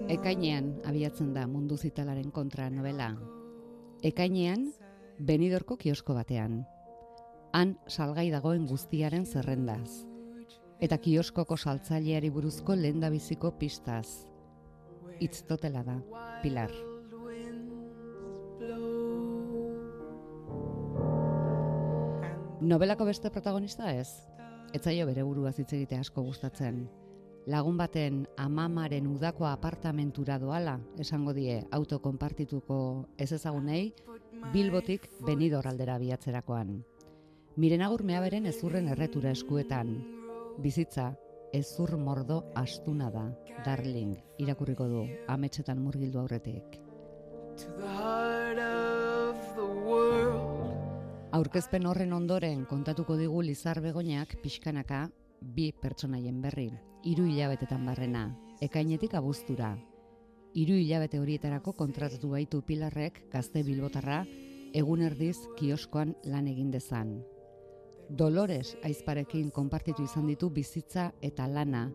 Ekainean abiatzen da Mundu Zitalaren kontra novela. Ekainean, Benidorko kiosko batean. Han salgai dagoen guztiaren zerrendaz. Eta kioskoko saltzaileari buruzko lehendabiziko pistaz. Itztotela da, Pilar. Nobelako beste protagonista ez? Ez zaio bere buruaz hitz egitea asko gustatzen. Lagun baten amamaren udako apartamentura doala, esango die auto konpartituko ez ezagunei, Bilbotik Benidor aldera abiatzerakoan. Miren Agur meaberen ezurren erretura eskuetan. Bizitza, ezur mordo astuna da, darling, irakurriko du, ametsetan murgildu aurretik. Aurkezpen horren ondoren kontatuko digu Lizar Begoñak pixkanaka bi pertsonaien berri, 3 hilabetetan barrena, ekainetik abuztura. 3 hilabete horietarako kontratatu baitu Pilarrek gazte bilbotarra egun erdiz kioskoan lan egin dezan. Dolores aizparekin konpartitu izan ditu bizitza eta lana,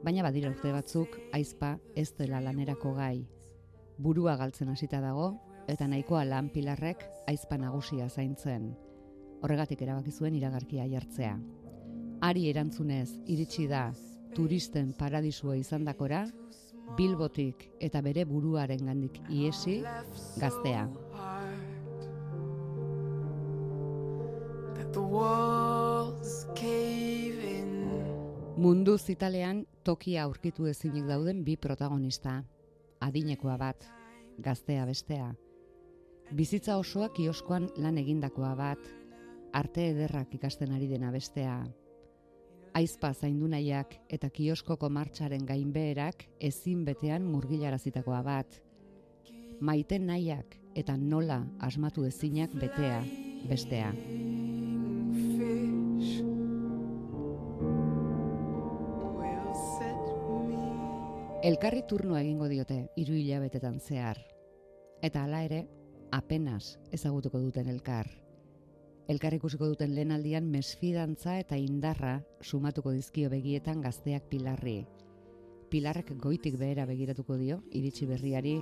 baina badira urte batzuk aizpa ez dela lanerako gai. Burua galtzen hasita dago eta nahikoa lan Pilarrek aizpa nagusia zaintzen. Horregatik erabaki zuen iragarkia jartzea. Hari erantzunez iritsi da turisten paradisua izandakora, Bilbotik eta bere buruarengandik ihesi gaztea. Mundu Zitalean tokia aurkitu ezinik dauden bi protagonista. Adinekoa bat, gaztea bestea. Bizitza osoa kioskoan lan egindakoa bat, arte ederrak ikasten ari dena bestea. Aizpa zaindu nahiak eta kioskoko martxaren gainbeherak ezin betean murgilarazitakoa bat. Maite nahiak eta nola asmatu ezinak betea bestea. Elkarri turnoa egingo diote 3 hilabetetan zehar. Eta hala ere, apenas ezagutuko duten elkar. Elkar ikusiko duten lehen aldian mesfidantza eta indarra sumatuko dizkio begietan gazteak Pilarri. Pilarrek goitik behera begiratuko dio, iritsi berriari,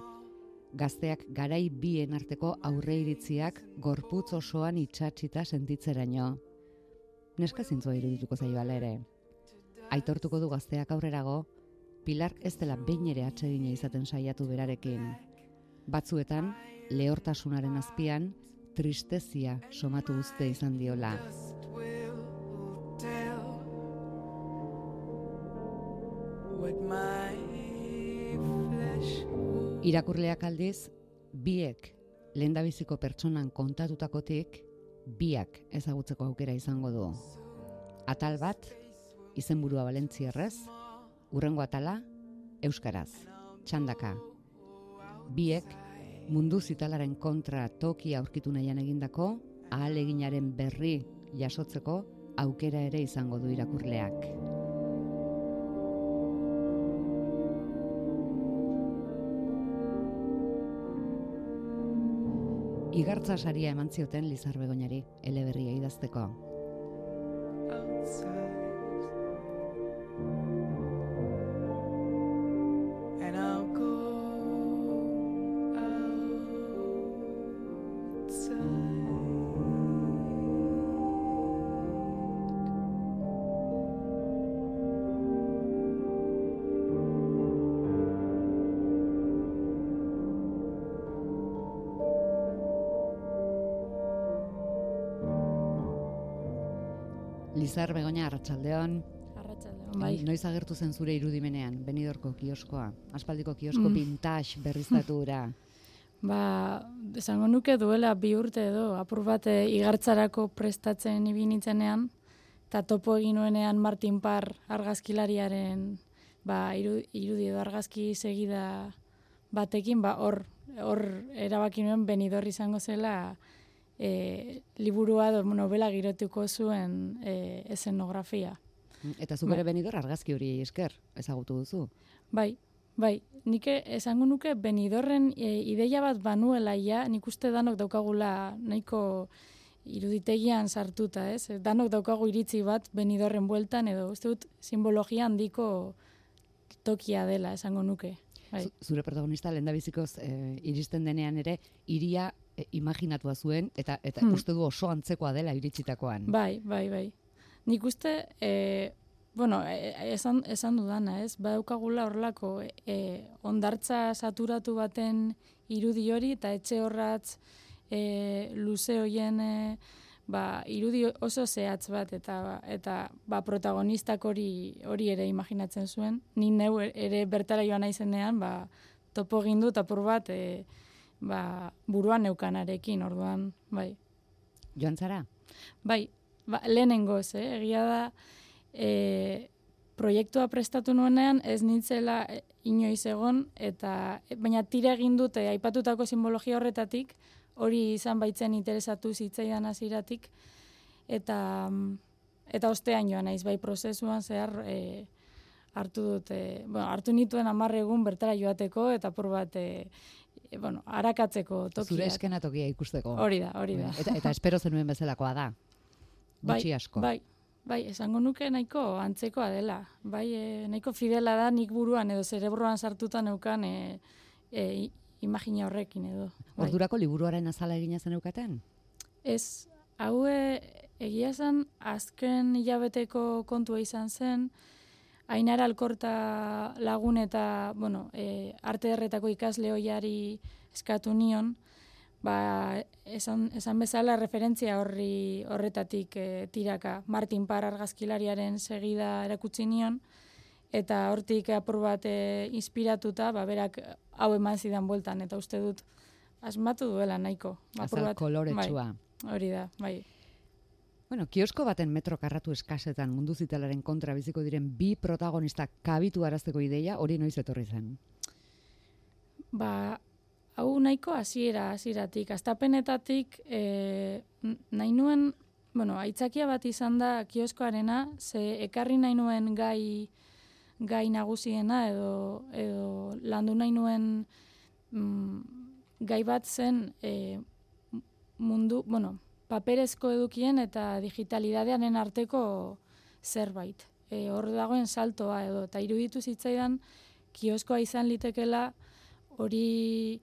gazteak garai bien arteko aurre iritziak gorputz osoan itxatxita sentitzeraino. Neska zintzua irudituko zaio ala ere. Aitortuko du gazteak aurrerago, Pilar ez dela behin ere atsegina izaten saiatu berarekin. Batzuetan, lehortasunaren azpian, tristezia somatu uzte izan diola. Irakurleak aldiz, biek lehendabiziko pertsonan kontatutakotik, biak ezagutzeko aukera izango du. Atal bat, izenburua valentzierrez, hurrengo atala, euskaraz, txandaka. Biek, Mundu Zitalaren kontra tokia aurkitu nahian egindako, ahaleginaren berri jasotzeko aukera ere izango du irakurleak. Igartza saria eman zioten Lizar Begoñari, eleberria idazteko. Lizar Begoña, arratsaldeon. Arratsaldeon, bai. Noiz agertu zen zure irudimenean, Benidorko kioskoa? Aspaldiko kiosko vintage berriztatura. Esango nuke duela 2 urte edo, apur bat igartzarako prestatzen ibinitzenean, eta topo egin nuenean Martin Parr argazkilariaren irudi edo argazki segida batekin, hor erabaki nuen Benidorr izango zela liburua edo novela girotuko zuen eszenografia. Eta zu bere Benidorr argazki hori esker ezagutu duzu? Bai. Nik esango nuke Benidorren ideia bat banuela ja, nik uste danok daukagula nahiko iruditegian sartuta, ez? Danok daukagu iritzi bat Benidorren bueltan, edo uste dut simbologia handiko tokia dela, esango nuke. Bai. Zure protagonista lehendabizikoz iristen denean ere, hiria imaginatua zuen, eta uste du oso antzekoa dela iritsitakoan. Bai. Nik uste, esan dudana, ez? Badaukagula horrelako ondartza saturatu baten irudi hori, eta etxe horratz luze hoien irudi oso zehatz bat, eta protagonistak hori ere imaginatzen zuen. Ni neu ere bertara joan naizenean, topo egin dut apur bat buruan neukanarekin, orduan, bai. Joan zara? Bai, lehenengoz, egia da, proiektua prestatu nuenean ez nintzela inoiz egon, baina tira egin dute aipatutako simbologia horretatik, hori izan baitzen interesatu zitzaidan hasieratik, eta ostean joan naiz, bai prozesuan zehar hartu nituen 10 egun bertara joateko, eta apur bat arakatzeko tokiak. Zure eskenatokia ikusteko. Hori da. Eta espero zenuen bezalakoa da. Gutxi asko. Bai, esango nuke nahiko antzekoa dela. Bai, nahiko fidela da nik buruan edo zerebroan sartuta neukan imagina horrekin edo. Bai. Ordurako liburuaren azala egina zen eukaten? Ez, hau egia zen azken hilabeteko kontua izan zen, Ainara Alkorta lagun eta, arte derretako ikasle hoiari eskatu nion, esan bezala referentzia horretatik tiraka. Martin Parr argazkilariaren segida erakutsi nion, eta hortik apur bat inspiratuta, berak hau eman zidan bueltan, eta uste dut asmatu duela nahiko. Azal koloretsua. Bai, hori da, bai. Kiosko baten metro karratu eskasetan mundu zitalaren kontra biziko diren 2 protagonistak kabitu arazteko ideia, hori noiz etorri zen? Hau nahiko hasieratik, astapenetatik nahi nuen, aitzakia bat izan da kioskoarena, ze ekarri nahi nuen gai nagusiena edo landu nahi nuen gai bat zen mundu, paperezko edukien eta digitalidadearen arteko zerbait. Hor dagoen saltoa edo, eta iruditu zitzaidan kioskoa izan litekela hori,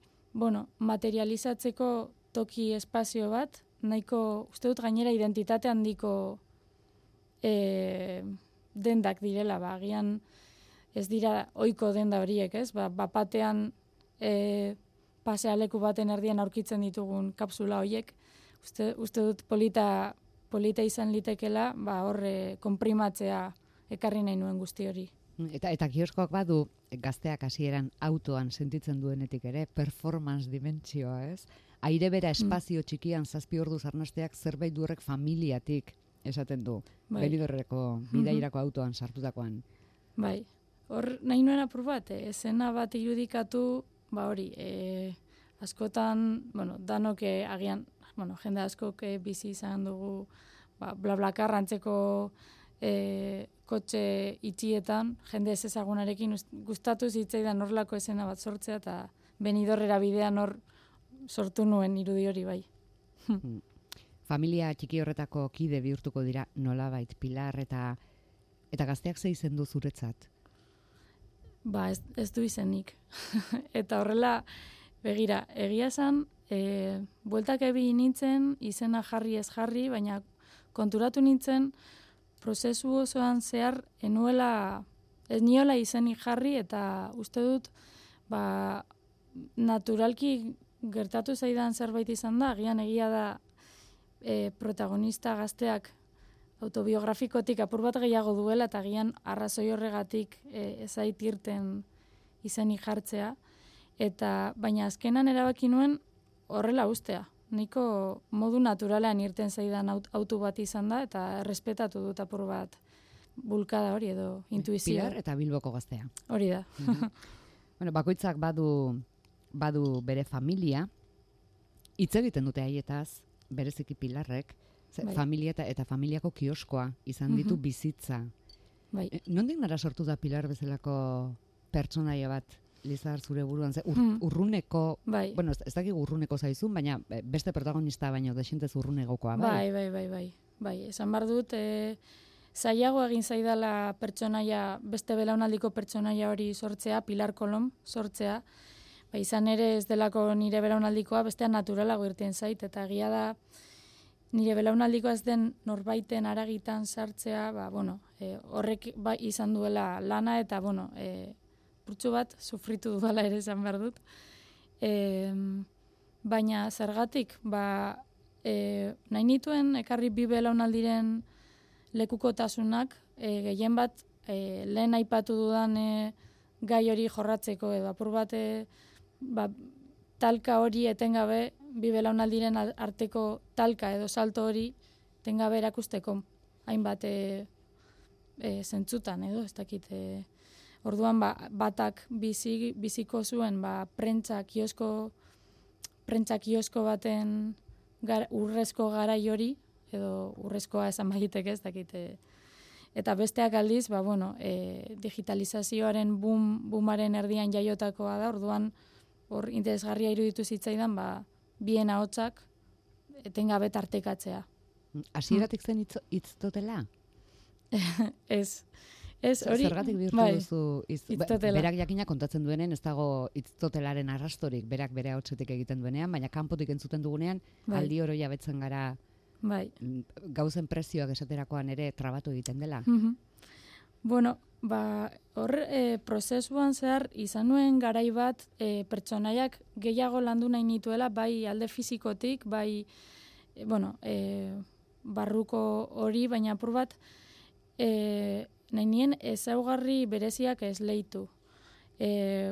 materializatzeko toki espazio bat, nahiko, uste dut gainera identitate handiko dendak direla, agian ez dira ohiko denda horiek, ez? Bapatean pasealeku baten erdian aurkitzen ditugun kapsula horiek, uste dut polita izan litekela, horre konprimatzea ekarri nahi nuen guzti hori. Eta kioskoak badu gazteak hasieran autoan sentitzen duenetik ere, performance dimentsioa, ez? Aire bera espazio txikian 7 orduz arnasteak zerbait du horrek familiatik esaten du. Benidorreko bidairako autoan sartutakoan. Bai, hor nahi nuen apur bat, esena bat irudikatu, hori, askotan, danok agian, jende askok bizi izan dugu, BlaBlaCar antzeko kotxe itxietan, jende ez ezagunarekin gustatu zitzaidan horlako esena bat sortzea, eta Benidorrera bidean hor sortu nuen irudi hori bai. Familia txiki horretako kide bihurtuko dira nolabait Pilar eta gazteak ze izen du zuretzat? Ez du izenik. Eta horrela, begira, egia esan, bueltak ebi nintzen, izena jarri ez jarri, baina konturatu nintzen, prozesu osoan zehar ez niola izenik jarri, eta uste dut, naturalki gertatu zaidan zerbait izan da, agian egia da protagonista gazteak autobiografikotik apur bat gehiago duela, eta agian arrazoi horregatik ezait irten izenik jartzea, baina azkenan erabaki nuen horrela ustea. Niko modu naturalean irten zaidan auto bat izan da, eta errespetatu dut apur bat bulkada hori edo intuizioa. Pilar eta Bilboko gaztea. Hori da. Bakoitzak badu bere familia, hitz egiten dute haietaz, bereziki Pilarrek, familia eta familiako kioskoa izan ditu bizitza. Bai. Nondik nara sortu da Pilar bezalako pertsonaia bat Lizar, zure buruan, urruneko, bai. Bueno, ez dakik urruneko zaizun, baina beste protagonista baino desintez urrunegokoa, bai? Bai, esan behar dut, zailago egin zaidala pertsonaia, beste belaunaldiko pertsonaia hori sortzea, Pilar Kolom sortzea, izan ere ez delako nire belaunaldikoa, bestean naturalago irten zait, eta egia da, nire belaunaldikoa ez den norbaiten aragitan sartzea, horrek izan duela lana, eta purtsu bat sufritu dudala ere esan behar dut. Baina zergatik, nahi nituen ekarri bi belaunaldiren lekukotasunak, gehien bat lehen aipatu dudan gai hori jorratzeko, edo apur bat talka hori etengabe, bi belaunaldiren arteko talka edo salto hori etengabe erakusteko, hainbat zentzutan edo, ez dakit. Orduan batak biziko zuen prentza kiosko baten urrezko garai hori, edo urrezkoa esan bagitek ez dakit. Eta besteak aldiz, digitalizazioaren boomaren erdian jaiotakoa da, orduan hor interesgarria iruditu zitzaidan, bien ahotsak etengabe tartekatzea. Hasieratik zen hitztotela? Ez, hori... Zergatik bihurtu duzu hitztotela? Berak jakina kontatzen duenen, ez dago hitztotelaren arrastorik, berak bere ahotsetik egiten duenean, baina kanpotik entzuten dugunean, aldi oro jabetzen gara gauzen prezioak esaterakoan ere trabatu egiten dela. Hor prozesuan zehar izan nuen garai bat pertsonaiak gehiago landu nahi nituela, bai alde fizikotik, bai barruko hori, baina apur bat nahi nien ezaugarri bereziak esleitu.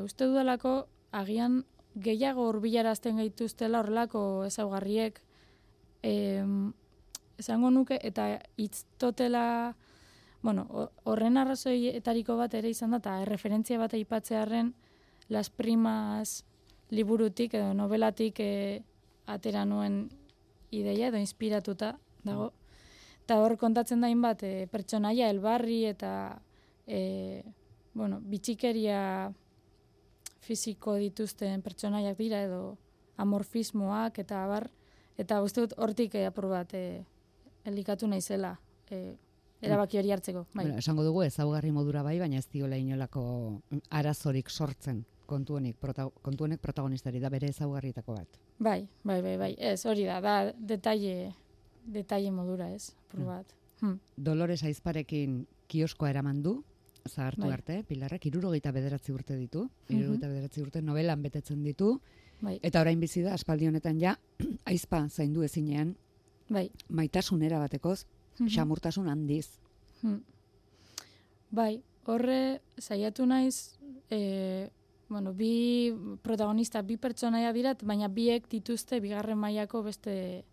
Uste dudalako agian gehiago hurbilarazten gaituztela horrelako ezaugarriek, esango nuke, eta hitztotela, horren arrazoietariko bat ere izan da, eta referentzia bat aipatzearren Las Primas liburutik edo novelatik atera nuen ideia edo inspiratuta dago. Eta hor kontatzen da hainbat pertsonaia, elbarri eta bitxikeria fisiko dituzten pertsonaiak dira edo amorfismoak eta abar. Eta uste dut hortik apur bat elikatu naizela erabaki hori hartzeko. Esango dugu ezaugarri modura bai, baina ez diola inolako arazorik sortzen kontu honek protagonistari da bere ezaugarrietako bat. Bai. Ez, hori da detalle modura ez, apur bat. Dolores Aizparekin kioskoa eraman du, zahartu arte, Pilarrek 69 urte ditu, 69 urte novelan betetzen ditu, eta orain bizi da, aspaldi honetan ja, aizpa zaindu ezinean, maitasunera batekoz, xamurtasun handiz. Horre saiatu naiz, bi protagonista, bi pertsonaia dirat, baina biek dituzte bigarren mailako beste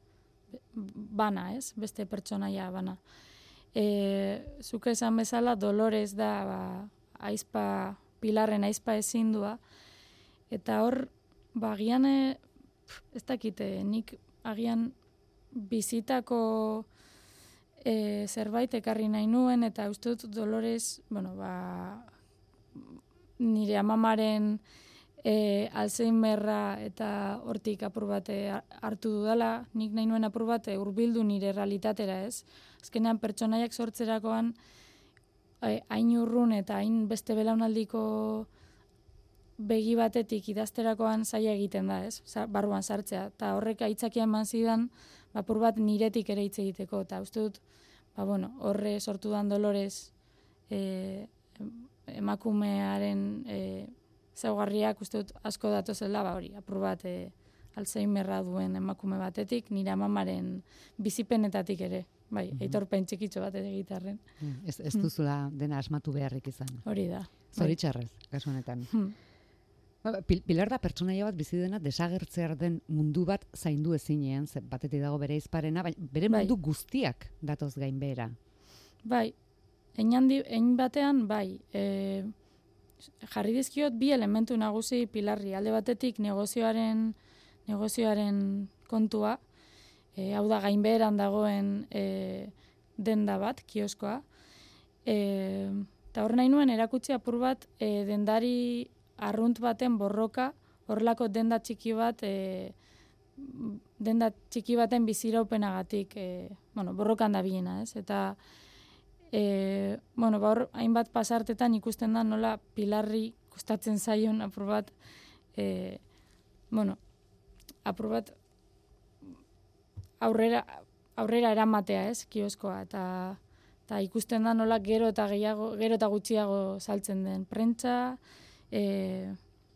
bana, ez? Beste pertsonaia bana. Zuk esan bezala, Dolores da aizpa, Pilarren aizpa ezindua, eta hor, agian, ez dakite, nik agian bizitako zerbait ekarri nahi nuen, eta uste dut Dolores, nire amamaren Alzheimerra eta hortik apur bat hartu dudala, nik nahi nuen apur bat hurbildu nire realitatera, ez? Azkenean pertsonaiak sortzerakoan hain urrun eta hain beste belaunaldiko begi batetik idazterakoan zaila egiten da, ez? Barruan sartzea. Eta horrek aitzakia eman zidan, apur bat niretik ere hitz egiteko. Eta uste dut, horre sortu dan Dolores emakumearen zaugarriak uste dut asko datozela, apur bat Alzheimerra duen emakume batetik, nire amamaren bizipenetatik ere. Aitorpen txikitxo bat ere gitarren. Ez duzula dena asmatu beharrik izan. Hori da. Zoritxarrez, kasu honetan. Pilar da pertsonaia bat bizi dena desagertzear den mundu bat zaindu ezinean, batetik dago bere aizparena, bere mundu guztiak datoz gainbehera. Hein batean, jarri dizkiot bi elementu nagusi Pilarri. Alde batetik negozioaren kontua, hau da gainbeheran dagoen denda bat, kioskoa. Eta hor nahi nuen erakutsi apur bat dendari arrunt baten borroka, horrelako denda txiki baten biziraupenagatik, borrokan da bilena, ez? Eta, hor, hainbat pasartetan ikusten da nola Pilarri kostatzen zaion apur bat, aurrera eramatea, ez, kioskoa, eta ikusten da nola gero eta gutxiago saltzen den prentsa,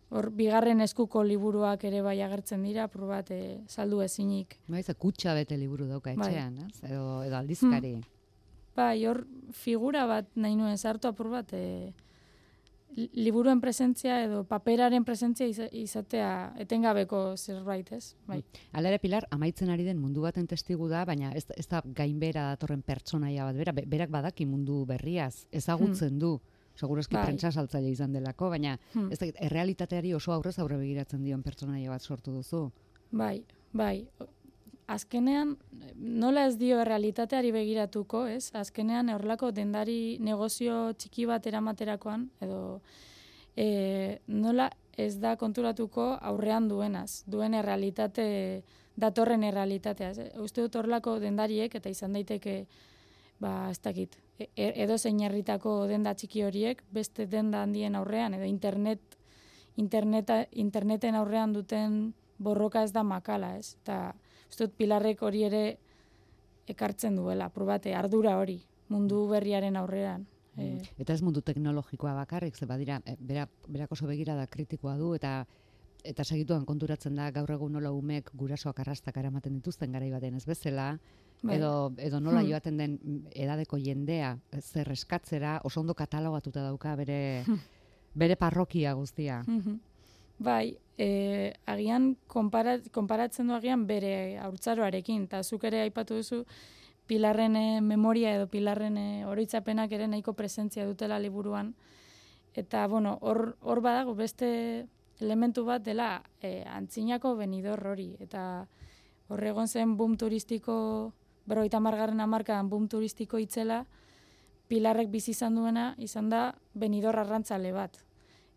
hor bigarren eskuko liburuak ere bai agertzen dira, apur bat saldu ezinik. Baiz, kutxa bete liburu dauka etxean, ez? Edo aldizkari. Bai, hor figura bat nahi nuen sartu apur bat, liburuen presentzia edo paperaren presentzia izatea etengabeko zerbait, ez? Bai. Hala ere, Pilar, amaitzen ari den mundu baten testigu da, baina ez da gainbera datorren pertsonaia bat, berak badaki mundu berriaz, ezagutzen du, segurazki prentsa saltzaile izan delako, baina ez da, errealitateari oso aurrez aurre begiratzen dion pertsonaia bat sortu duzu. Bai. Azkenean, nola ez dio errealitateari begiratuko, ez? Azkenean, horrelako dendari negozio txiki bat eramaterakoan, edo nola ez da konturatuko aurrean duenaz, duen errealitate, datorren errealitatea. Uste dut horrelako dendariek, eta izan daiteke, ez dakit, edo zein herritako denda txiki horiek, beste denda handien aurrean, edo interneten aurrean duten borroka ez da makala, ez? Eta uste dut Pilarrek hori ere ekartzen duela, probate, ardura hori, mundu berriaren aurrean. Eta ez mundu teknologikoa bakarrik, ze badira, berak oso begirada kritikoa du, eta segituan konturatzen da gaur egun nola umek gurasoak arrastak eramaten dituzten garai baten ez bezala, edo nola joaten den edadeko jendea zer eskatzera, oso ondo katalogatuta dauka bere parrokia guztia. Bai, agian konparatzen du agian bere haurtzaroarekin, eta zuk ere aipatu duzu Pilarren memoria edo Pilarren oroitzapenak ere nahiko presentzia dutela liburuan. Eta, hor badago beste elementu bat dela antzinako Benidorr hori. Eta hor egon zen boom turistiko, 50. hamarkadan boom turistiko itzela, Pilarrek bizi izan duena, izan da Benidorr arrantzale bat.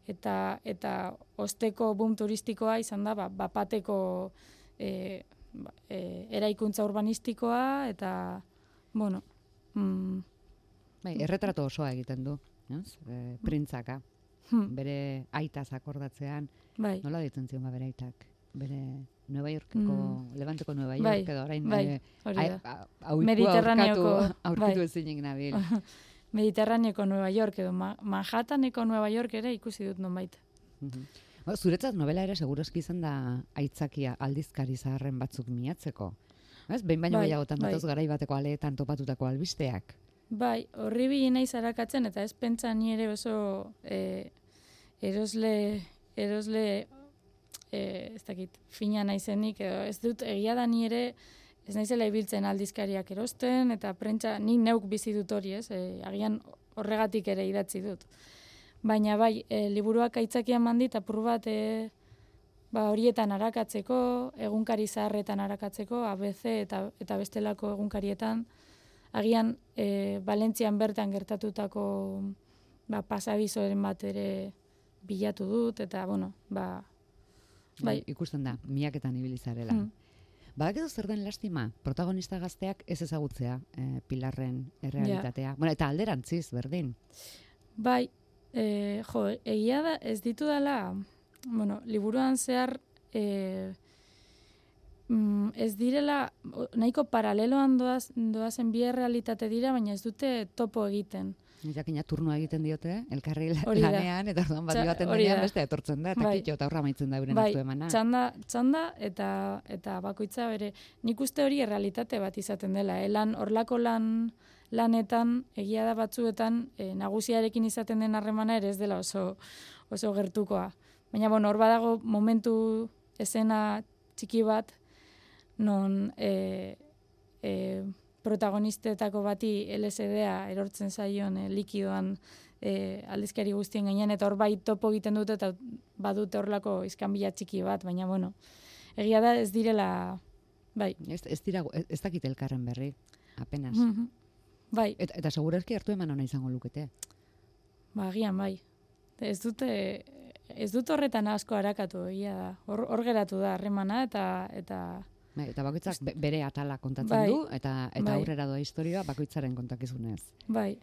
Eta osteko boom turistikoa izan da bapateko eraikuntza urbanistikoa, eta, erretrato osoa egiten du, printzaka, bere aitaz akordatzean, nola ditzen zion bere aitak, bere Nueva Yorkeko, Levanteko Nueva York, edo orain aurkitu ezinik nabil. Mediterraneoko Nueva York edo Manhattaneko Nueva York ere ikusi dut nonbait. Zuretzat novela ere segurazki izan da aitzakia aldizkari zaharren batzuk miatzeko. Behin baino gehiagotan datoz garai bateko aleetan topatutako albisteak. Bai, horri bili naiz arakatzen, eta ez pentsa ni ere oso erosle ez dakit, fina naizenik, edo ez dut egia da ni ere ez naizela ibiltzen aldizkariak erosten, eta prentsa nik neuk bizi dut hori, ez? Agian horregatik ere idatzi dut. Baina bai, liburuak aitzakian mandit, apur bat horietan arakatzeko, egunkari zaharretan arakatzeko, ABC eta bestelako egunkarietan, agian Valentzian bertan gertatutako pasabizoren bat ere bilatu dut, eta bai. Ikusten da, miaketan ibilizarela. Badakizu zer den lastima, protagonista gazteak ez ezagutzea Pilarren errealitatea. Eta alderantziz, berdin. Bai, egia da ez ditu dela, liburuan zehar ez direla, nahiko paraleloan doazen bi errealitate dira, baina ez dute topo egiten. Jakina turnoa egiten diote, elkarri lanean, eta orduan bat joaten denean beste etortzen da, eta kitxo eta horra maitzen da euren hartu emana. Txanda eta bakoitza bere. Nik uste hori errealitate bat izaten dela. Horlako lanetan, egia da batzuetan, nagusiarekin izaten den harremana ere ez dela oso gertukoa. Baina, hor badago momentu esena txiki bat, non protagonistetako bati LSD-a erortzen zaion likidoan aldizkari guztien gainean, eta hor bai topo egiten dute, eta badute horlako iskanbila txiki bat, baina, egia da ez direla, bai. Ez dakit elkarren berri, apenas. Bai. Eta segurazki hartu eman ona izango lukete. Agian, bai. Ez dute ez dut horretan asko harakatu, egia da. Hor geratu da harremana eta Eta bakoitzak bere atala kontatzen du, eta aurrera doa historioa bakoitzaren kontakizunez. Bai.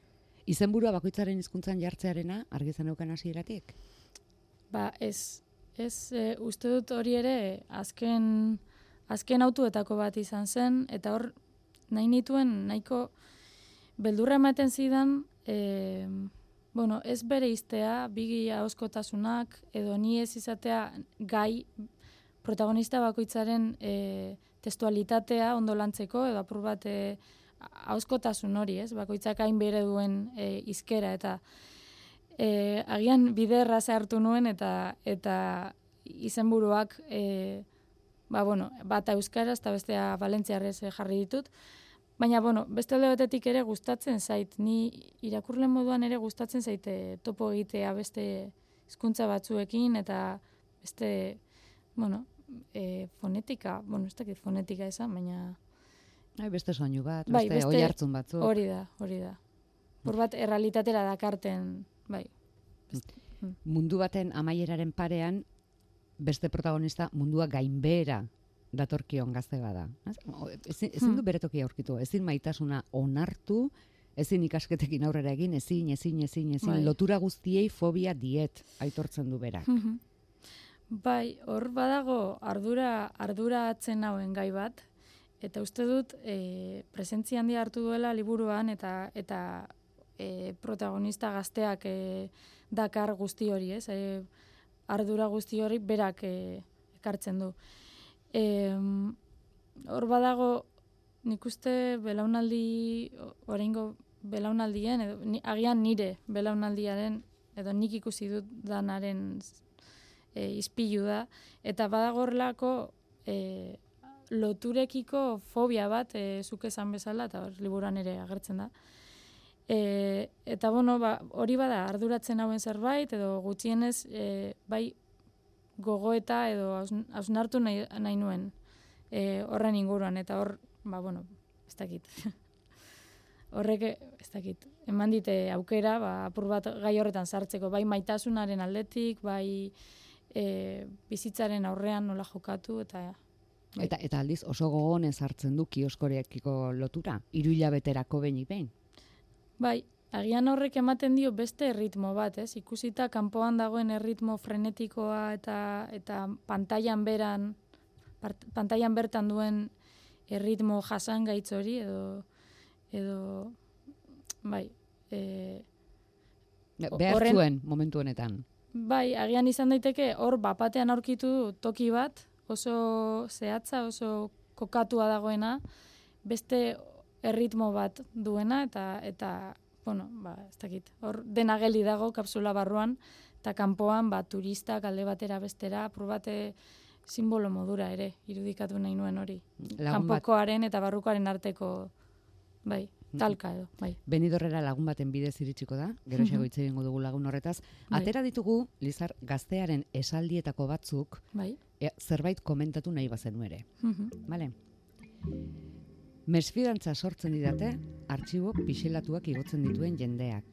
Izenburua bakoitzaren hizkuntzan jartzearena argi zeneukan hasieratik? Ez uste dut hori ere azken autuetako bat izan zen, eta hor nahi nituen nahiko beldurra ematen zidan, ez bere iztea, bigi ahozkotasunak, edo ni ez izatea gai protagonista bakoitzaren testualitatea ondo lantzeko, edo apur bat ahozkotasun hori, ez? Bakoitzak hain bere duen hizkera, eta agian bide erraza hartu nuen, eta izenburuak bata euskaraz eta bestea valentziarrez jarri ditut. Baina, beste alde batetik ere gustatzen zait, ni irakurle moduan ere gustatzen zaite topo egitea beste hizkuntza batzuekin, eta beste, fonetika, ez dakit fonetika esan, baina... Beste soinu bat, beste oi hartzun batzuk. Hori da. Hor bat errealitatera dakarten, bai. Mundu baten amaieraren parean, beste protagonista mundua gainbehera datorkion gazte bada. Ezin du bere tokia aurkitu, ezin maitasuna onartu, ezin ikasketekin aurrera egin, ezin, lotura guztiei fobia diet aitortzen du berak. Bai, hor badago ardura atzen hauen gai bat, eta uste dut presentzia handia hartu duela liburuan, eta protagonista gazteak dakar guzti hori, ez? Ardura guzti hori berak ekartzen du. Hor badago, nik uste oraingo belaunaldien, edo agian nire belaunaldiaren, edo nik ikusi dut danaren izpilu da, eta badago horrelako loturekiko fobia bat, zuk esan bezala, eta liburuan ere agertzen da. Eta hori bada arduratzen hauen zerbait, edo gutxienez bai gogoeta edo hausnartu nahi nuen horren inguruan, eta hor, ez dakit. Horrek, ez dakit, eman dite aukera, apur bat gai horretan sartzeko, bai maitasunaren aldetik, bai bizitzaren aurrean nola jokatu, eta... Eta aldiz oso gogonez hartzen du kioskorekiko lotura, 3 hilabeterako behin. Bai, agian horrek ematen dio beste erritmo bat, ez? Ikusita kanpoan dagoen erritmo frenetikoa eta pantailan bertan duen erritmo jasangaitz hori, edo bai. Behar zuen momentu honetan. Bai, agian izan daiteke hor bapatean aurkitu toki bat, oso zehatza, oso kokatua dagoena, beste erritmo bat duena, eta ez dakit, hor dena geli dago kapsula barruan, eta kanpoan turistak alde batera bestera, apur bate simbolo modura ere, irudikatu nahi nuen hori. Kanpokoaren eta barrukoaren arteko, bai, talka edo, bai. Benidorrera lagun baten bidez iritsiko da, gero xego hitz egingo dugu lagun horretaz. Atera ditugu, Lizar, gaztearen esaldietako batzuk, zerbait komentatu nahi bazenu ere. Bale? Mesfidantza sortzen didate, artxibo pixelatuak igotzen dituen jendeak.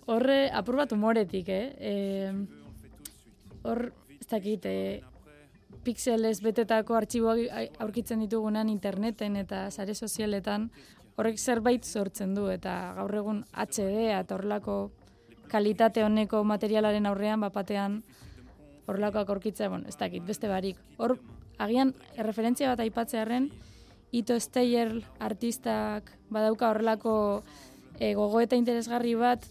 Horre apur bat humoretik, hor, ez dakit, pixelez betetako artxiboak aurkitzen ditugunan interneten eta sare sozialetan, horrek zerbait sortzen du, eta gaur egun HD eta horrelako kalitate honeko materialaren aurrean, bapatean horrelakoak aurkitzea, ez dakit, beste barik. Hor, agian, referentzia bat aipatzearren, Ito Steyer artistak badauka horrelako gogoeta interesgarri bat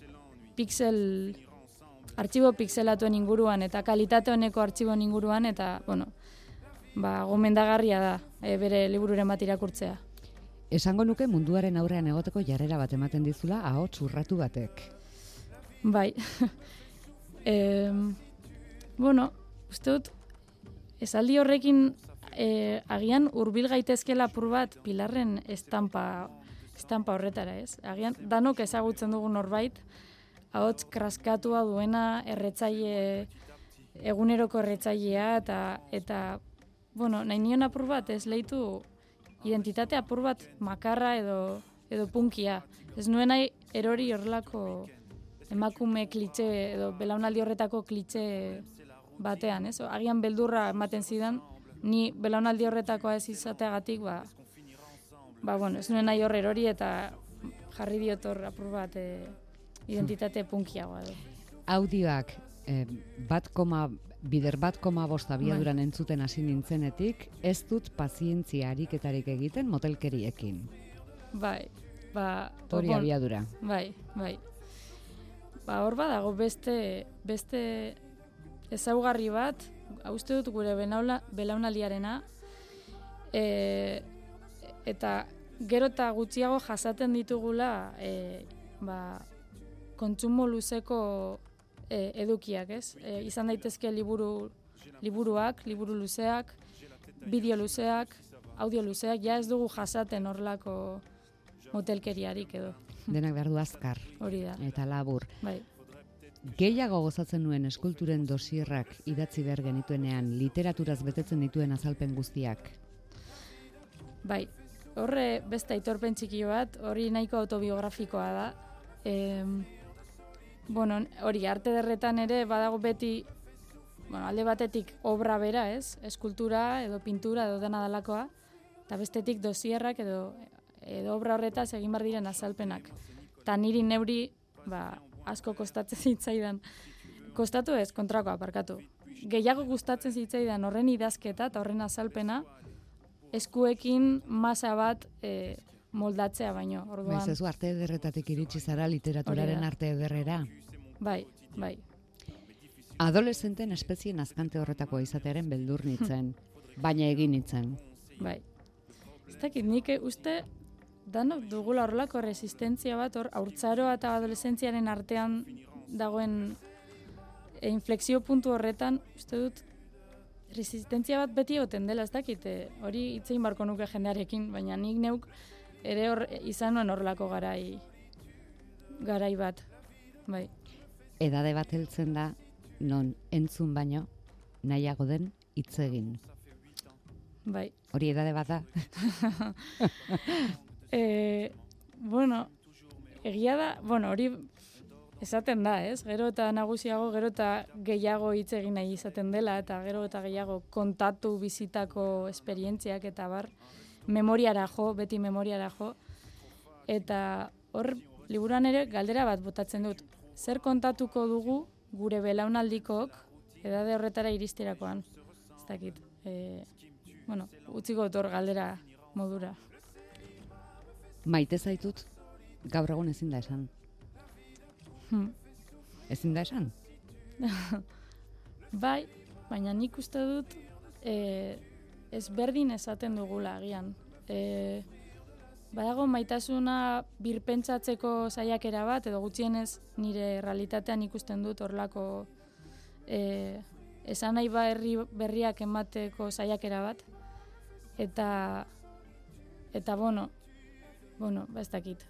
artxibo pixelatuen inguruan eta kalitate honeko artxiboen inguruan, eta, gomendagarria da bere libururen bat irakurtzea. Esango nuke munduaren aurrean egoteko jarrera bat ematen dizula ahots urratu batek. Bai. Uste dut, esaldi horrekin agian hurbil gaitezkela apur bat Pilarren estampa horretara, ez? Agian danok ezagutzen dugun norbait, ahots kraskatua duena eguneroko erretzailea, eta nahi nion apur bat ez lehitu identitate apur bat makarra edo punkia. Ez nuen nahi erori horrelako emakume klitxe edo belaunaldi horretako klitxe batean, ez? Agian beldurra ematen zidan, ni belaunaldi horretakoa ez izateagatik, bueno, ez nuen nahi hor erori eta jarri diot hor apur bat identitate punkiagoa edo. Audioak bider 1,5 abiaduran entzuten hasi nintzenetik, ez dut pazientzia ariketarik egiten motelkeriekin. Bai, hori abiadura. Bai. Hor badago beste ezaugarri bat, uste dut gure belaunaldiarena, eta gero eta gutxiago jasaten ditugula kontsumo luzeko edukiak, ez? Izan daitezke liburuak, liburu luzeak, bideo luzeak, audio luzeak, ja ez dugu jasaten horrelako motelkeriarik edo. Denak behar du azkar. Hori da. Eta labur. Bai. Gehiago gozatzen nuen eskulturen dosierrak idatzi behar genituenean, literaturaz betetzen dituen azalpen guztiak. Bai, horre beste aitorpen txiki bat, hori nahiko autobiografikoa da. Hori arte derretan ere badago beti, alde batetik obra bera, ez? Eskultura edo pintura edo dena dalakoa, eta bestetik dosierrak edo obra horretaz egin behar diren azalpenak. Eta niri neuri, asko kostatzen zitzaidan. Kostatu ez, kontrakoa, parkatu. Gehiago gustatzen zitzaidan horren idazketa eta horren azalpena, eskuekin masa bat moldatzea baino. Orduan, ez arte ederretatik iritsi zara literaturaren arte ederrera. Bai. Adolescenten espezien azkante horretako izatearen beldur nintzen, baina egin nintzen. Bai. Ez dakit, nik uste danok dugula horrelako resistentzia bat, haurtzaroa eta adolescentziaren artean dagoen inflexio puntu horretan, uste dut, resistentzia bat beti egoten dela, ez dakit, hori hitzein barko nuke jendearekin, baina nik neuk ere izan nuen horrelako garai bat, bai. Edade bat heltzen da, non entzun baino, nahiago den hitz egin. Bai. Hori edade bat da? Egia da, hori esaten da, ez? Gero eta nagusiago, gero eta gehiago hitz egin nahi izaten dela, eta gero eta gehiago kontatu bizitako esperientziak eta beti memoriara jo. Eta hor, liburuan ere galdera bat botatzen dut. Zer kontatuko dugu gure belaunaldikok edade horretara iristerakoan? Ez dakit. Utziko dut hor galdera modura. Maite zaitut, gaur egun ezin da esan. Ezin da esan? Bai, baina nik uste dut ezberdin esaten dugula agian. Badago maitasuna birpentsatzeko saiakera bat, edo gutxienez nire realitatean ikusten dut horlako esan nahi berriak emateko saiakera bat. Eta ez dakit.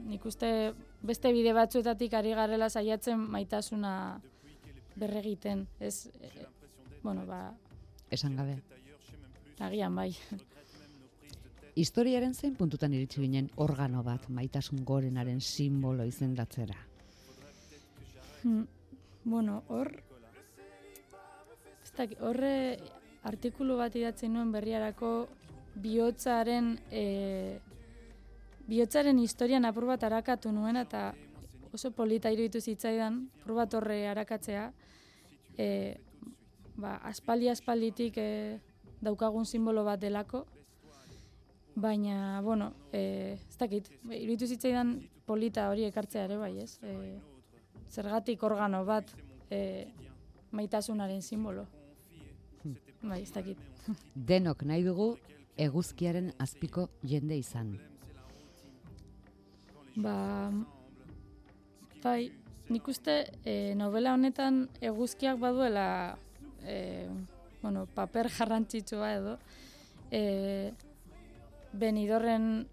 Nik uste beste bide batzuetatik ari garela saiatzen maitasuna berregiten. Esan gabe. Agian bai. Historiaren zein puntutan iritsi ginen organo bat maitasun gorenaren simbolo izendatzera? Horre artikulu bat idatzi nuen Berriarako bihotzaren historian apur bat arakatu nuen, eta oso polita iruditu zitzaidan, apur bat horre arakatzea, aspalditik daukagun simbolo bat delako, baina, ez dakit, iruditu zitzaidan polita hori ekartzea ere bai, ez? Zergatik organo bat maitasunaren simbolo. Bai, ez dakit. Denok nahi dugu eguzkiaren azpiko jende izan. Bai, nik uste novela honetan eguzkiak baduela paper garrantzitsua edo. Benidorren,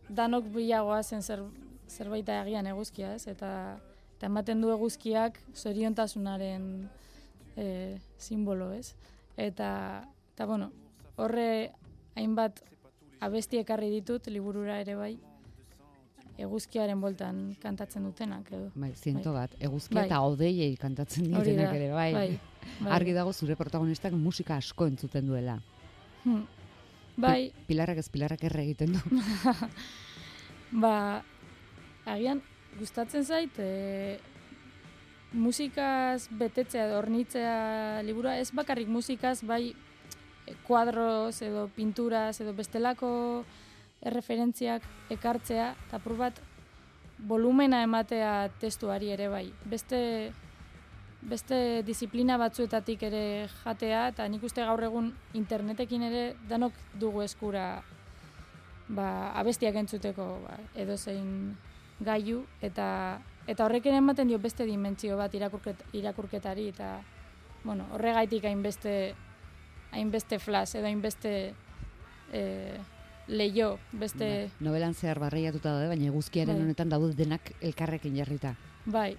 danok bilagoa zen zerbaita agian eguzkia, ez? Eta ematen du eguzkiak zoriontasunaren simbolo, ez? Eta horre hainbat abesti ekarri ditut liburura ere bai. eguzkiaren boltan kantatzen dutenak edo. Bai, 100 bat. Eguzkia Bai. eta odeiei kantatzen Hori dietenak da, ere, bai. bai. Argi dago zure protagonistak musika asko entzuten duela. Bai. Pilarrak erre egiten du. Ba, agian gustatzen zait, musikaz betetzea edo hornitzea liburua, ez bakarrik musikaz, bai kuadroz edo pinturaz edo bestelako erreferentziak ekartzea, eta apur bat volumena ematea testuari ere bai. Beste disiplina batzuetatik ere jatea, eta nik uste gaur egun internetekin ere danok dugu eskura abestiak entzuteko edozein gailu, eta horrek ere ematen dio beste dimentsio bat irakurketari, eta horregaitik hainbeste flash edo hainbeste leio, beste... Nobelan zehar barreiatuta daude, baina eguzkiaren honetan daude denak elkarrekin jarrita. Bai.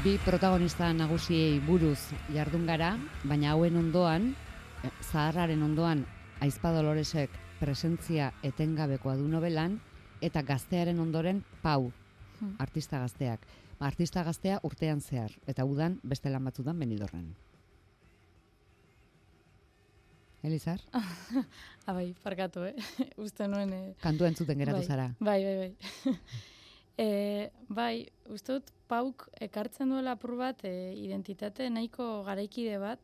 Bi protagonista nagusiei buruz jardun gara, baina hauen ondoan, zaharraren ondoan, Aizpa Doloresek presentzia etengabekoa du nobelan, eta gaztearen ondoren Pau, artista gazteak. Artista gaztea urtean zehar, eta udan beste lan batzutan Benidorren. Elizar? Bai, parkatu, uste nuen... Kantua entzuten geratu zara. Bai. Bai, uste dut Pauk ekartzen duela apur bat identitate nahiko garaikide bat,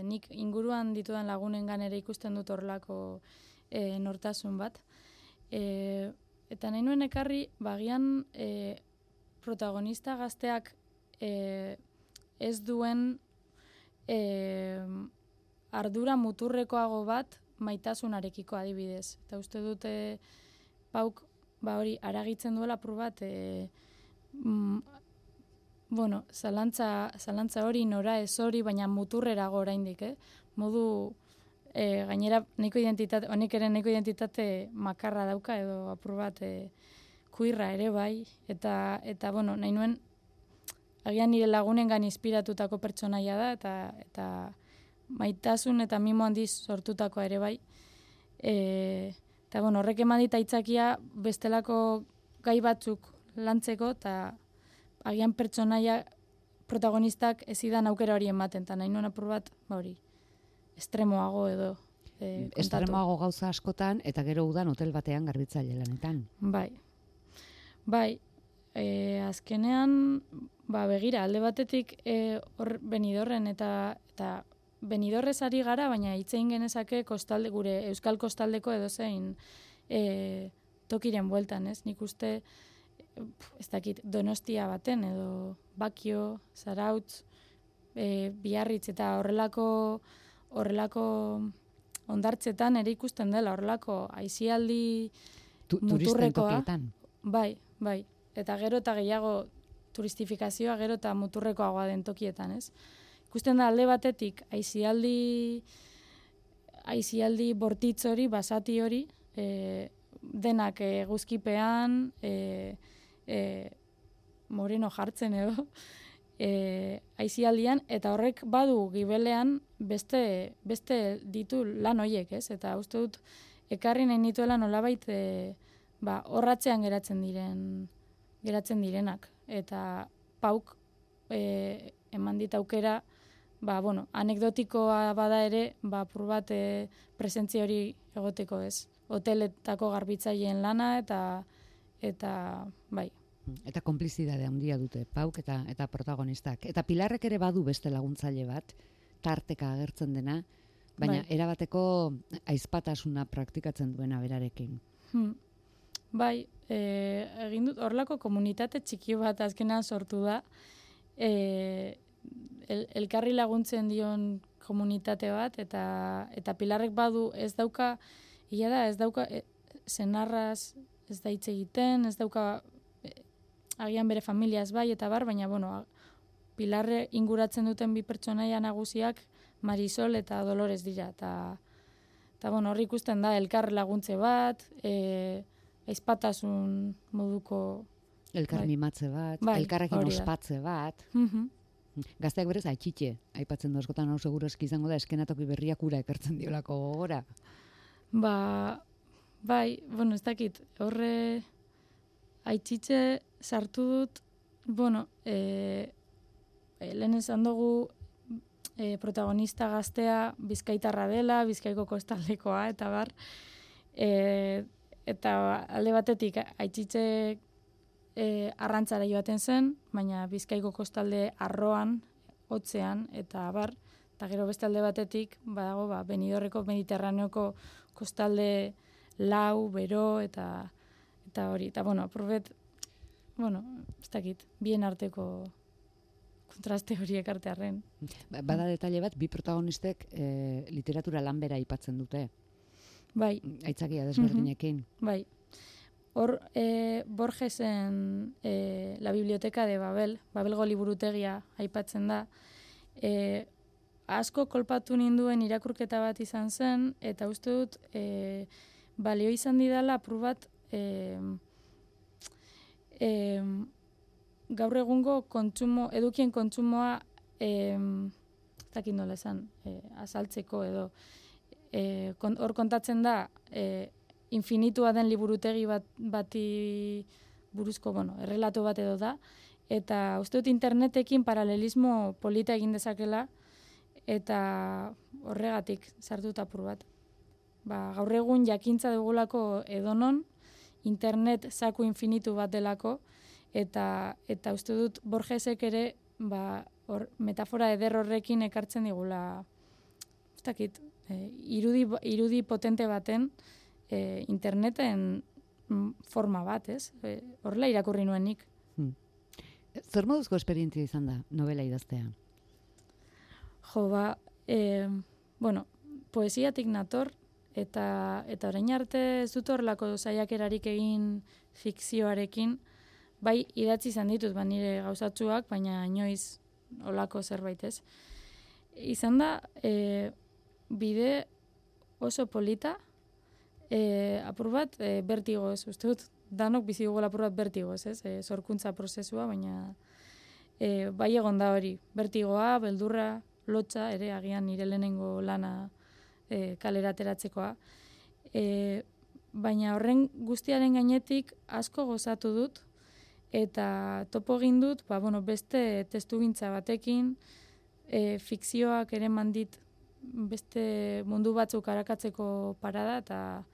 nik inguruan ditudan lagunengan ere ikusten dut horrelako nortasun bat. Eta nahi nuen ekarri, bagian protagonista gazteak ez duen ardura muturrekoago bat maitasunarekiko adibidez. Eta uste dute Pauk hori aragitzen duela apur bat zalantza hori, nora ez hori, baina muturrerago oraindik, modu gainera honek ere nahiko identitate makarra dauka edo apur bat kuirra ere bai, eta nahi nuen agian nire lagunengan inspiratutako pertsonaia da, eta maitasun eta mimo handiz sortutakoa ere bai. Eta horrek eman dit aitzakia bestelako gai batzuk lantzeko, eta agian pertsonaia protagonistak ezidan aukera hori ematen, eta nahi nuen apur bat, estremoago edo kontatu. Estremoago gauza askotan, eta gero udan hotel batean garbitzaile lanetan. Bai, azkenean, begira, alde batetik hor Benidorren eta Benidorrez ari gara, baina hitzein genezake gure euskal kostaldeko edozein tokiren bueltan, ez? Nik uste, ez dakit, Donostia baten, edo Bakio, Zarautz, Biarritz, eta horrelako ondartzetan ere ikusten dela, horrelako aisialdi muturrekoa. Tokietan. Bai, eta gero eta gehiago turistifikazioa gero eta muturrekoagoa den tokietan, ez? Ikusten da alde batetik aisialdi bortitz hori, basati hori, denak eguzkipean, moreno jartzen edo, aisialdian, eta horrek badu gibelean beste ditu lan horiek, ez? Eta uste dut, ekarri nahi nituela nolabait horratzean geratzen direnak. Eta Pauk eman dit aukera, anekdotikoa bada ere, apur bat presentzia hori egoteko, ez? Hoteletako garbitzaileen lana eta bai. Eta konplizidade handia dute Pauk eta protagonistak. Eta Pilarrek ere badu beste laguntzaile bat, tarteka agertzen dena, baina erabateko aizpatasuna praktikatzen duena berarekin. Bai, egin dut horlako komunitate txiki bat azkenean sortu da. elkarri laguntzen dion komunitate bat, eta Pilarrek badu ez dauka, senarraz ez da hitz egiten, ez dauka agian bere familiaz bai, eta baina, Pilarre inguratzen duten bi pertsonaia nagusiak Marisol eta Dolores dira, eta hor ikusten da elkar laguntze bat, aizpatasun moduko... Elkar mimatze bat, elkarrekin ospatze bat. Gazteak berez, atxitxe, aipatzen du askotan hau seguro eski izango da, eskenatoki berriak ura ekartzen diolako gogora. Bai, ez dakit, horre aitxitxe sartu dut, lehen esan dugu protagonista gaztea Bizkaitarra dela, Bizkaiko kostaldekoa, eta bar, eta alde batetik aitxitxe arrantzara joaten zen, baina Bizkaiko kostalde arroan, hotzean, eta bar, eta gero beste alde batetik, badago, Benidorreko Mediterraneoko kostalde lau, bero, eta hori. Eta, apurbet, ez dakit, bien arteko kontraste horiek artearren. Bada detaile bat, bi protagonistek literatura lanbera aipatzen dute. Bai. Aitzakia desberdinekin. Bai. Hor, Borgesen La Biblioteca de Babel, Babelgo liburutegia aipatzen da, asko kolpatu ninduen irakurketa bat izan zen, eta uste dut, balio izan didala apur bat, gaur egungo edukien kontsumoa, ez dakit nola esan, azaltzeko edo, hor kontatzen da, infinitua den liburutegi bati buruzko, errelato bat edo da, eta uste dut internetekin paralelismo polita egin dezakela, eta horregatik sartuta apur bat. Gaur egun jakintza dugulako edonon, internet zaku infinitu bat delako, eta uste dut Borgesek ere metafora eder horrekin ekartzen digula, ez dakit, irudi potente baten, interneten forma bat, ez? Horrela irakurri nuenik. Zer moduzko esperientzia izan da novela idaztea? Poesiatik nator, eta orain arte ez dut horrelako saiakerarik egin fikzioarekin, bai idatzi izan ditut, nire gauzatsuak, baina inoiz olako zerbait ez. Izan da, bide oso polita, apur bat bertigoz, uste dut, danok bizi dugula apur bat bertigoz, ez? Sorkuntza prozesua, baina bai egon da hori, bertigoa, beldurra, lotxa, ere agian nire lehenengo lana kalera ateratzekoa. Baina horren guztiaren gainetik asko gozatu dut, eta topo egin dut, beste testugintza batekin, fikzioak ere mandit beste mundu batzuk arakatzeko parada, eta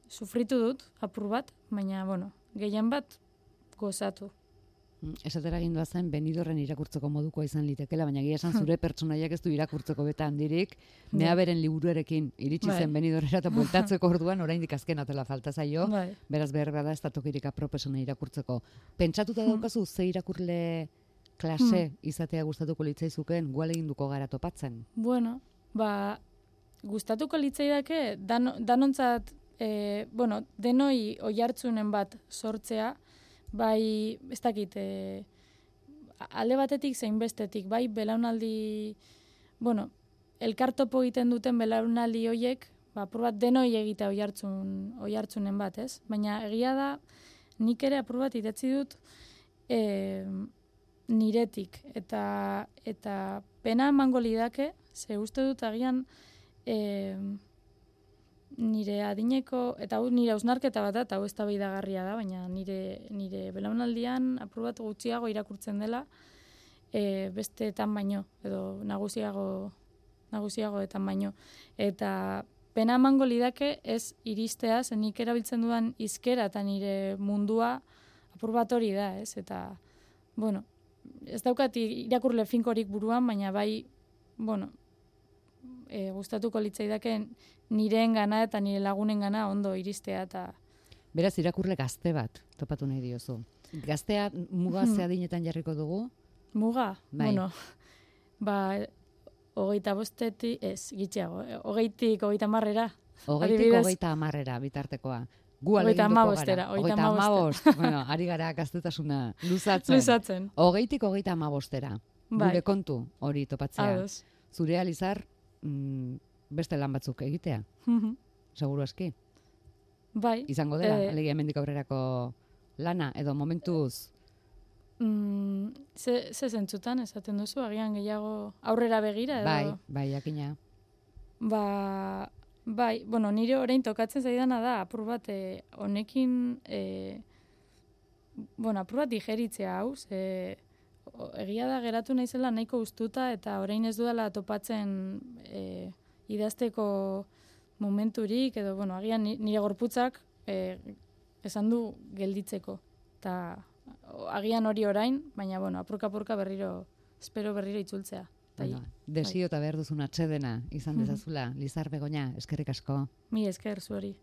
sufritu dut, apur bat, baina, gehien bat gozatu. Esatera gindua zen, Benidorren irakurtzeko modukoa izan litekela, baina egia esan zure pertsonaiak ez du irakurtzeko beta handirik, mea beren liburuarekin iritsi zen Benidorrera eta bueltatzeko orduan, oraindik azken atela falta zaio, beraz behar bada ez da tokirik aproposena irakurtzeko. Pentsatuta daukazu, ze irakurle klase izatea gustatuko litzaizuken, gual eginduko gara topatzen? Gustatuko litzaidake, danontzat, denoi oihartzunen bat sortzea, bai, ez dakit, alde batetik zein bestetik, bai, belaunaldi, elkar topo egiten duten belaunaldi hoiek, apur bat denoi egitea oihartzunen bat, ez? Baina egia da, nik ere apur bat idatzi dut niretik, eta pena emango lidake, ze uste dut agian nire adineko, eta nire hausnarketa bat da, eta hau eztabaidagarria da, baina nire belaunaldian apur bat gutxiago irakurtzen dela, besteetan baino, edo nagusiagoetan baino. Eta pena emango lidake ez iristea, zen nik erabiltzen dudan hizkera eta nire mundua apur bat hori da, ez? Eta, ez daukat irakurle finkorik buruan, baina bai, gustatuko litzaidake nireen gana eta nire lagunen gana ondo iristea. Beraz, irakurle gazte bat topatu nahi diozu. Gaztea mugazea adinetan jarriko dugu? Muga? Bai. Bueno, 25 gitxiago, 20tik 30era. 20tik 30era bitartekoa. Gu aleginduko gara. 35. Bueno, ari gara gaztetasuna luzatzen. 20tik 35era. Gure kontu hori topatzea. Ados. Zurea, Lizar, beste lan batzuk egitea. Seguru aski. Bai. Izango dela, alegia hemendik aurrerako lana, edo momentuz? Ze zentzutan esaten duzu, agian gehiago aurrera begira edo? Bai, jakina. Bai, bueno, nire orain tokatzen zaidana da, apur bat, honekin, apur bat digeritzea hau, egia da geratu naizela nahiko ustuta, eta orain ez dudala topatzen idazteko momenturik, edo, agian nire gorputzak esan du gelditzeko. Eta agian hori orain, baina, apurka-apurka espero berriro itzultzea. Desio eta behar duzun atsedena izan dezazula, Lizar Begoña, eskerrik asko. Mi esker zuari.